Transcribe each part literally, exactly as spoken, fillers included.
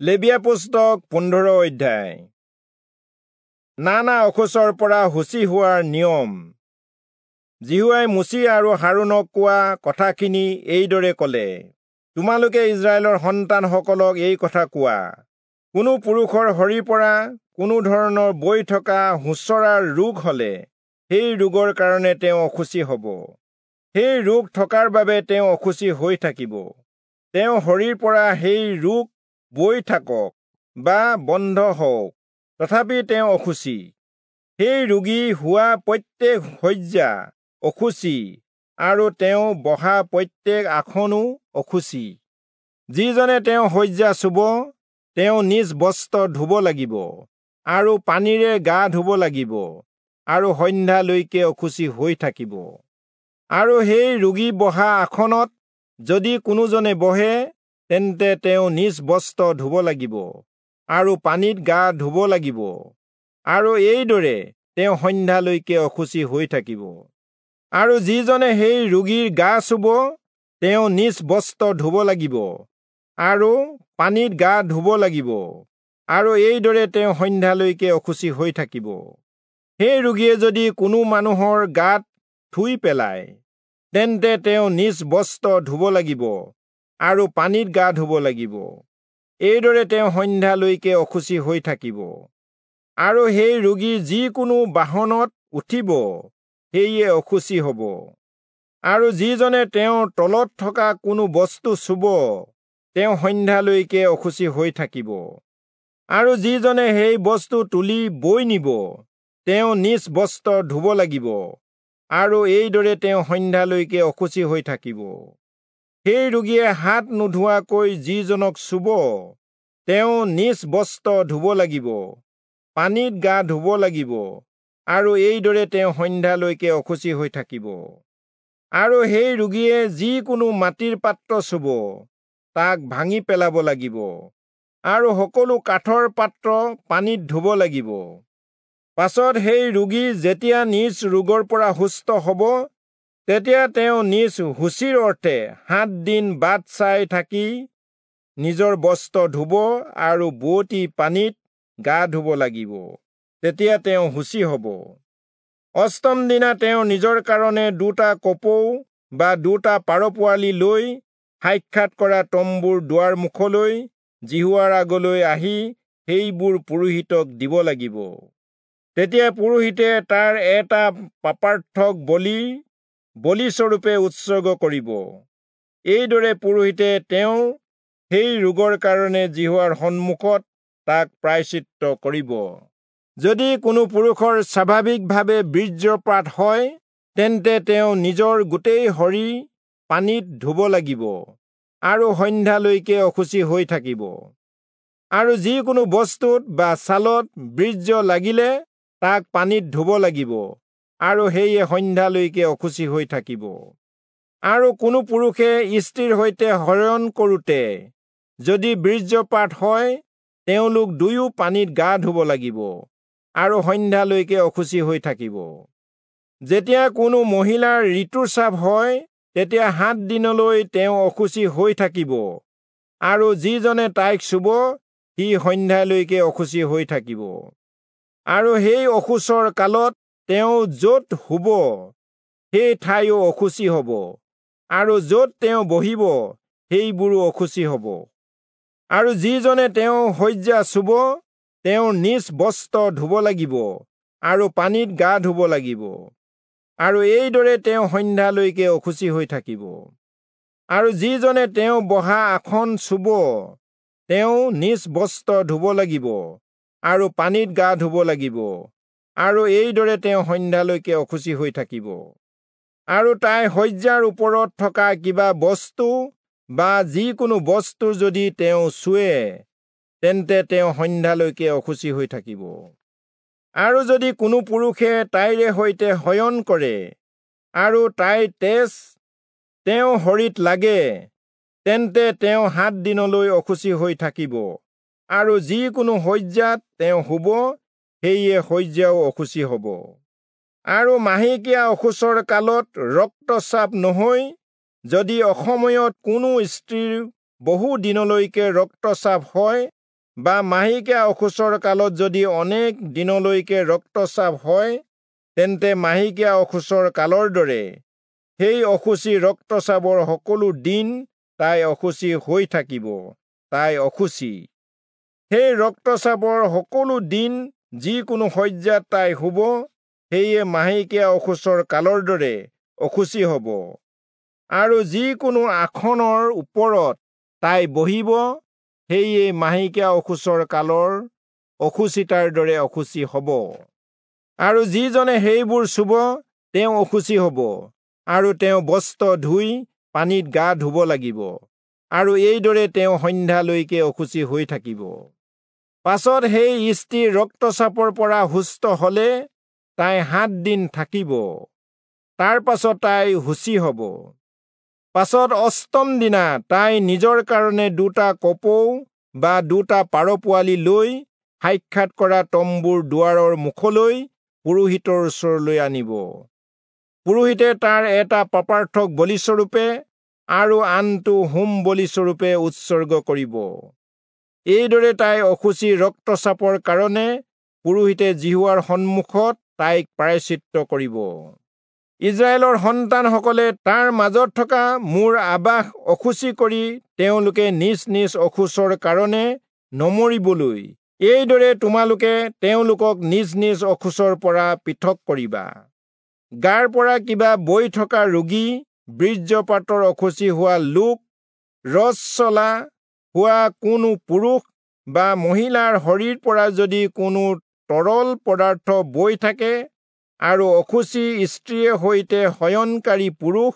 লেবীয়া পুস্তক পোন্ধৰ অধ্যায়। নানা অশৌচৰ পৰা শুচি হোৱাৰ নিয়ম। যিহোৱাই মোচি আৰু হাৰোণক কোৱা কথাখিনি এইদৰে কলে, তোমালোকে ইস্ৰায়েলৰ সন্তানসকলক এই কথা কোৱা, কোনো পুৰুষৰ শৰীৰ পৰা কোনো ধৰণৰ বৈ থকা সোঁচৰাৰ ৰোগ হলে সেই ৰোগৰ কাৰণে তেওঁ অশুচি হব। সেই ৰোগ থকাৰ বাবে তেওঁ অশুচি হৈ থাকিব। তেওঁ শৰীৰ পৰা সেই ৰোগ বৈ থাকক বা বন্ধ হওক, তথাপি তেওঁ অশুচি। সেই ৰোগী হোৱা প্ৰত্যেক শয্যা অশুচি আৰু তেওঁ বহা প্ৰত্যেক আসনো অশুচি। যিজনে তেওঁ শয্যা চুব, তেওঁ নিজ বস্ত্ৰ ধুব লাগিব আৰু পানীৰে গা ধুব লাগিব আৰু সন্ধ্যালৈকে অশুচি হৈ থাকিব। আৰু সেই ৰোগী বহা আসনত যদি কোনোজনে বহে, তেন্তে তেওঁ নিজ বস্ত্ৰ ধুব লাগিব আৰু পানীত গা ধুব লাগিব আৰু এইদৰে তেওঁ সন্ধ্যালৈকে অশুচি হৈ থাকিব। আৰু যিজনে সেই ৰোগীৰ গা চুব, তেওঁ নিজ বস্ত্ৰ ধুব লাগিব আৰু পানীত গা ধুব লাগিব আৰু এইদৰে তেওঁ সন্ধ্যালৈকে অশুচি হৈ থাকিব। সেই ৰোগীয়ে যদি কোনো মানুহৰ গাত থুই পেলায়, তেন্তে তেওঁ নিজ বস্ত্ৰ ধুব লাগিব আৰু পানীত গা ধুব লাগিব, এইদৰে তেওঁ সন্ধ্যালৈকে অশুচি হৈ থাকিব। আৰু সেই ৰোগী যিকোনো বাহনত উঠিব, সেয়ে অশুচি হব। আৰু যিজনে তেওঁৰ তলত থকা কোনো বস্তু চুব, তেওঁ সন্ধ্যালৈকে অশুচি হৈ থাকিব। আৰু যিজনে সেই বস্তু তুলি বৈ নিব, তেওঁ নিজ বস্ত্ৰ ধুব লাগিব আৰু এইদৰে তেওঁ সন্ধ্যালৈকে অশুচি হৈ থাকিব। সেই ৰোগীয়ে হাত নোধোৱাকৈ যিজনক চুব, তেওঁ নিজ বস্ত্ৰ ধুব লাগিব, পানীত গা ধুব লাগিব আৰু এইদৰে তেওঁ সন্ধ্যালৈকে অশুচি হৈ থাকিব। আৰু সেই ৰোগীয়ে যিকোনো মাটিৰ পাত্ৰ চুব, তাক ভাঙি পেলাব লাগিব আৰু সকলো কাঠৰ পাত্ৰ পানীত ধুব লাগিব। পাছত সেই ৰোগী যেতিয়া নিজ ৰোগৰ পৰা সুস্থ হব, তেতিয়া তেওঁ নিজ শুচিৰ অৰ্থে সাত দিন বাট চাই থাকি নিজৰ বস্ত্ৰ ধুব আৰু বোৱতী পানীত গা ধুব লাগিব, তেতিয়া তেওঁ শুচি হব। অষ্টম দিনা তেওঁ নিজৰ কাৰণে দুটা কপৌ বা দুটা পাৰ পোৱালি লৈ সাক্ষাৎ কৰা তম্বুৰ দুৱাৰ মুখলৈ যিহোৱাৰ আগলৈ আহি সেইবোৰ পুৰোহিতক দিব লাগিব। তেতিয়া পুৰোহিতে তাৰ এটা পাপাৰ্থক বলি বলিস্বৰূপে উৎসৰ্গ কৰিব। এইদৰে পুৰোহিতে তেওঁৰ সেই ৰোগৰ কাৰণে যিহোৱাৰ সন্মুখত তাক প্ৰায়শ্চিত্ত কৰিব। যদি কোনো পুৰুষৰ স্বাভাৱিকভাৱে বীৰ্যপাত হয়, তেন্তে তেওঁ নিজৰ গোটেই শৰীৰ পানীত ধুব লাগিব আৰু সন্ধ্যালৈকে অশুচি হৈ থাকিব। আৰু যিকোনো বস্তুত বা ছালত বীৰ্য লাগিলে তাক পানীত ধুব লাগিব আৰু সেয়ে সন্ধ্যালৈকে অশুচি হৈ থাকিব। আৰু কোনো পুৰুষে স্ত্ৰীৰ সৈতে শয়ন কৰোঁতে যদি বীৰ্যপাত হয়, তেওঁলোক দুয়ো পানীত গা ধুব লাগিব আৰু সন্ধ্যালৈকে অশুচি হৈ থাকিব। যেতিয়া কোনো মহিলাৰ ঋতুস্ৰাৱ হয়, তেতিয়া সাত দিনলৈ তেওঁ অশুচি হৈ থাকিব আৰু যিজনে তাইক চুব, সি সন্ধ্যালৈকে অশুচি হৈ থাকিব। আৰু সেই অশৌচৰ কালত তেওঁ য'ত শুব, সেই ঠাইও অশুচি হব আৰু য'ত তেওঁ বহিব, সেইবোৰো অশুচি হব। আৰু যিজনে তেওঁ শয্যা চুব, তেওঁৰ নিজ বস্ত্ৰ ধুব লাগিব আৰু পানীত গা ধুব লাগিব আৰু এইদৰে তেওঁ সন্ধ্যালৈকে অশুচি হৈ থাকিব। আৰু যিজনে তেওঁ বহা আসন চুব, তেওঁ নিজ বস্ত্ৰ ধুব লাগিব আৰু পানীত গা ধুব লাগিব আৰু এইদৰে তেওঁ সন্ধ্যালৈকে অশুচি হৈ থাকিব। আৰু তাই শয্যাৰ ওপৰত থকা কিবা বস্তু বা যিকোনো বস্তু যদি তেওঁ চুৱে, তেন্তে তেওঁ সন্ধ্যালৈকে অশুচি হৈ থাকিব। আৰু যদি কোনো পুৰুষে তাইৰে সৈতে শয়ন কৰে আৰু তাইৰ তেজ তেওঁ শৰীৰত লাগে, তেন্তে তেওঁ সাত দিনলৈ অশুচি হৈ থাকিব আৰু যিকোনো শয্যাত তেওঁ শুব, সেয়ে শয্যাও অশুচি হব। আৰু মাহেকীয়া অশৌচৰ কালত ৰক্তস্ৰাৱ নহৈ যদি অসময়ত কোনো স্ত্ৰীৰ বহু দিনলৈকে ৰক্তস্ৰাৱ হয়, বা মাহেকীয়া অশৌচৰ কালত যদি অনেক দিনলৈকে ৰক্তস্ৰাৱ হয়, তেন্তে মাহেকীয়া অশৌচৰ কালৰ দৰে সেই অশুচি ৰক্তস্ৰাৱৰ সকলো দিন তাই অশুচি হৈ থাকিব, তাই অশুচি। সেই ৰক্তস্ৰাৱৰ সকলো দিন যিকোনো শয্যাত তাই শুব, সেয়ে মাহেকীয়া অশৌচৰ কালৰ দৰে অশুচি হ'ব। আৰু যিকোনো আসনৰ ওপৰত তাই বহিব, সেয়ে মাহেকীয়া অশৌচৰ কালৰ অশুচিতাৰ দৰে অশুচি হ'ব। আৰু যিজনে সেইবোৰ চুব তেওঁ অশুচি হ'ব, আৰু তেওঁ বস্ত্ৰ ধুই পানীত গা ধুব লাগিব, আৰু এইদৰে তেওঁ সন্ধ্যালৈকে অশুচি হৈ থাকিব। পাছত সেই স্ত্ৰী ৰক্তস্ৰাৱৰ পৰা সুস্থ হলে তাই সাত দিন থাকিব, তাৰ পাছত তাই শুচি হ'ব। পাছত অষ্টম দিনা তাই নিজৰ কাৰণে দুটা কপৌ বা দুটা পাৰ পোৱালি লৈ সাক্ষাৎ কৰা তম্বুৰ দুৱাৰৰ মুখলৈ পুৰোহিতৰ ওচৰলৈ আনিব। পুৰোহিতে তাৰ এটা পাপাৰ্থক বলিস্বৰূপে আৰু আনটো হোম বলিস্বৰূপে উৎসৰ্গ কৰিব। এইদৰে তাই অশুচি ৰক্তস্ৰাৱৰ কাৰণে পুৰোহিতে যিহোৱাৰ সন্মুখত তাইক প্ৰায়শ্চিত্ত কৰিব। ইস্ৰায়েলৰ সন্তানসকলে তাৰ মাজত থকা মোৰ আৱাস অশুচি কৰি তেওঁলোকে নিজ নিজ অশৌচৰ কাৰণে নমৰিবলৈ এইদৰে তোমালোকে তেওঁলোকক নিজ নিজ অশৌচৰ পৰা পৃথক কৰিবা। গাৰ পৰা কিবা বৈ থকা ৰোগী, বীৰ্যপাতৰ অশুচি হোৱা লোক, ৰজস্বলা হোৱা কোনো পুৰুষ বা মহিলাৰ শৰীৰ পৰা যদি কোনো তৰল পদাৰ্থ বৈ থাকে, আৰু অশুচি স্ত্ৰীয়ে সৈতে শয়নকাৰী পুৰুষ,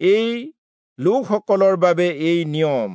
এই লোকসকলৰ বাবে এই নিয়ম।